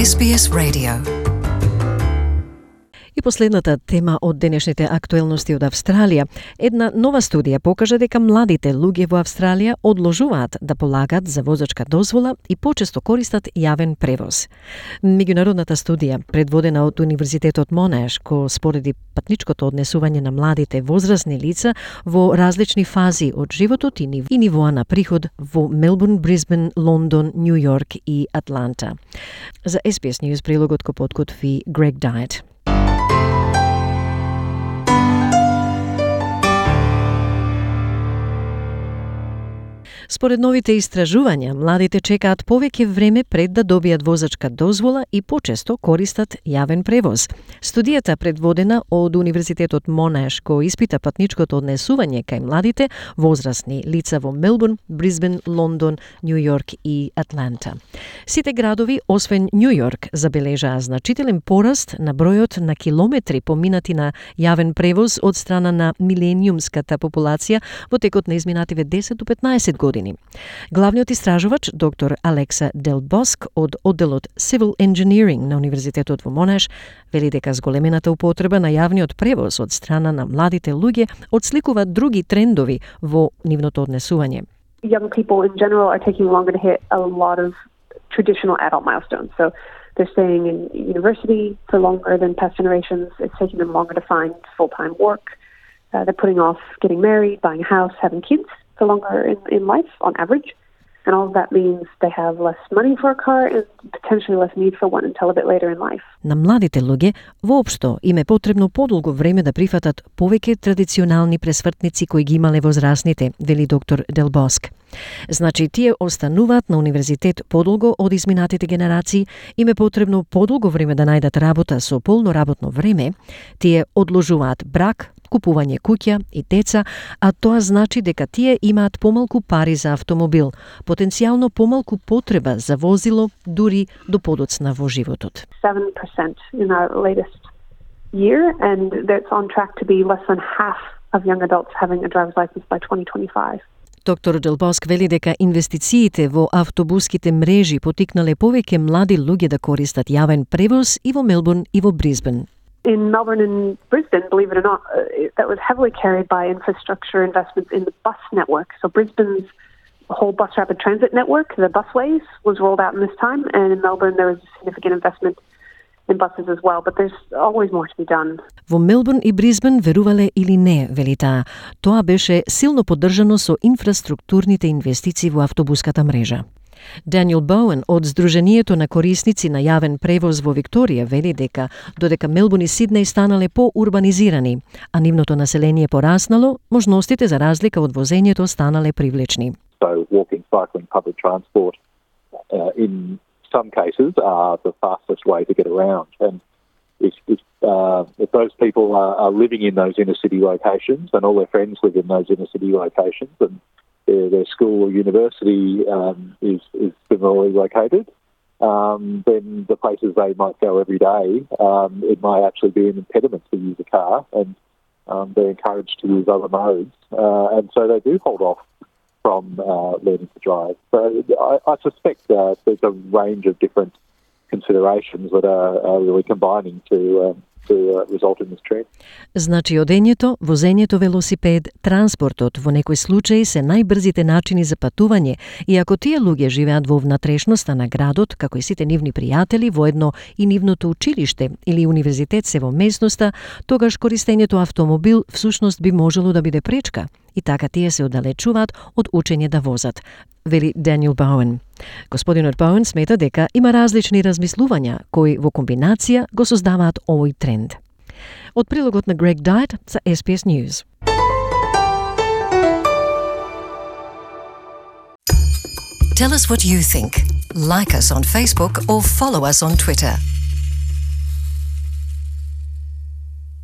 SBS Radio. И последната тема од денешните актуелности од Австралија. Една нова студија покажа дека младите луѓе во Австралија одложуваат да полагат за возачка дозвола и почесто користат јавен превоз. Меѓународната студија, предводена од Универзитетот Монаш, ко спореди патничкото однесување на младите возрастни лица во различни фази од животот и нивоа на приход во Мелбурн, Брисбен, Лондон, Нью Йорк и Атланта. За SBS News прилогот ко подготви Грег Дайт. Според новите истражувања, младите чекаат повеќе време пред да добијат возачка дозвола и почесто користат јавен превоз. Студијата, предводена од Универзитетот Монаш, кој испита патничкото однесување кај младите возрастни лица во Мелбурн, Брисбен, Лондон, Нью Йорк и Атланта. Сите градови, освен Нью Йорк, забележаа значителен пораст на бројот на километри поминати на јавен превоз од страна на милениумската популација во текот на изминативе 10 до 15 години. Главниот истражувач, доктор Алекса Дел Боск од одделот Civil Engineering на Универзитетот во Монаш, вели дека зголемената употреба на јавниот превоз од страна на младите луѓе отсликуваат други трендови во нивното однесување. Young people in general are taking longer to hit a lot of traditional adult milestones. So they're staying in university for longer than past generations. It's taking them longer to find full-time work. They're putting off getting married, buying a house, having kids for longer in life on average. And all of that means they have less money for a car and potentially less need for one until a bit later in life. На младите луѓе воопшто им е потребно подолго време да прифатат повеќе традиционални пресвртници кои ги имале возрастните, вели доктор Дел Боск. Значи, тие остануваат на универзитет подолго од изминатите генерации, им е потребно подолго време да најдат работа со полно работно време, тие одложуваат брак, купување куќа и деца, а тоа значи дека тие имаат помалку пари за автомобил, потенцијално помалку потреба за возило, дури до подоцна во животот. 7% in our latest year, and that's on track to be less than half of young adults having a driver's license by 2025. Доктор Дел Боск вели дека инвестициите во автобуските мрежи потикнале повеќе млади луѓе да користат јавен превоз и во Мелбурн и во Брисбен. In Melbourne and Brisbane, believe it or not, that was heavily carried by infrastructure investments in the bus network. So Brisbane's whole bus rapid transit network, the busways, was rolled out in this time, and in Melbourne there was a significant investment in buses as well, but there's always more to be done. Во Мелбурн и Брисбен, верувале или не, вели таа, тоа беше силно поддржано со инфраструктурните инвестиции во автобуската мрежа. Даниел Боуен од Сдруженијето на корисници на јавен превоз во Викторија вели дека додека Мелбурн и Сиднеј станале поурбанизирани, а нивното население пораснало, можностите за разлика од возењето станале привлечни. So walking, cycling, public transport in some cases are the fastest way to get around. And if those people are living in those inner city locations and all their friends live in those inner city locations and their school or university is similarly located, then the places they might go every day, it might actually be an impediment to use a car, and they're encouraged to use other modes. And so they do hold off from learning to drive. So I suspect there's a range of different considerations that are really combining to result in this trend. Значи, одењето, возењето велосипед, транспортот во некој случај се најбрзите начини за патување, и ако тие луѓе живеат во внатрешноста на градот, како и сите нивни пријатели, воедно и нивното училиште или универзитет се во местноста, тогаш користењето автомобил всушност би можело да биде пречка, и така тие се оддалечуваат од учење да возат, вели Даниел Боуен. Господинот Боуен смета дека има различни размислувања кои во комбинација го создаваат овој тренд. Од прилогот на Грег Дайт за SBS News. Tell us what you think. Like us on Facebook or follow us on Twitter.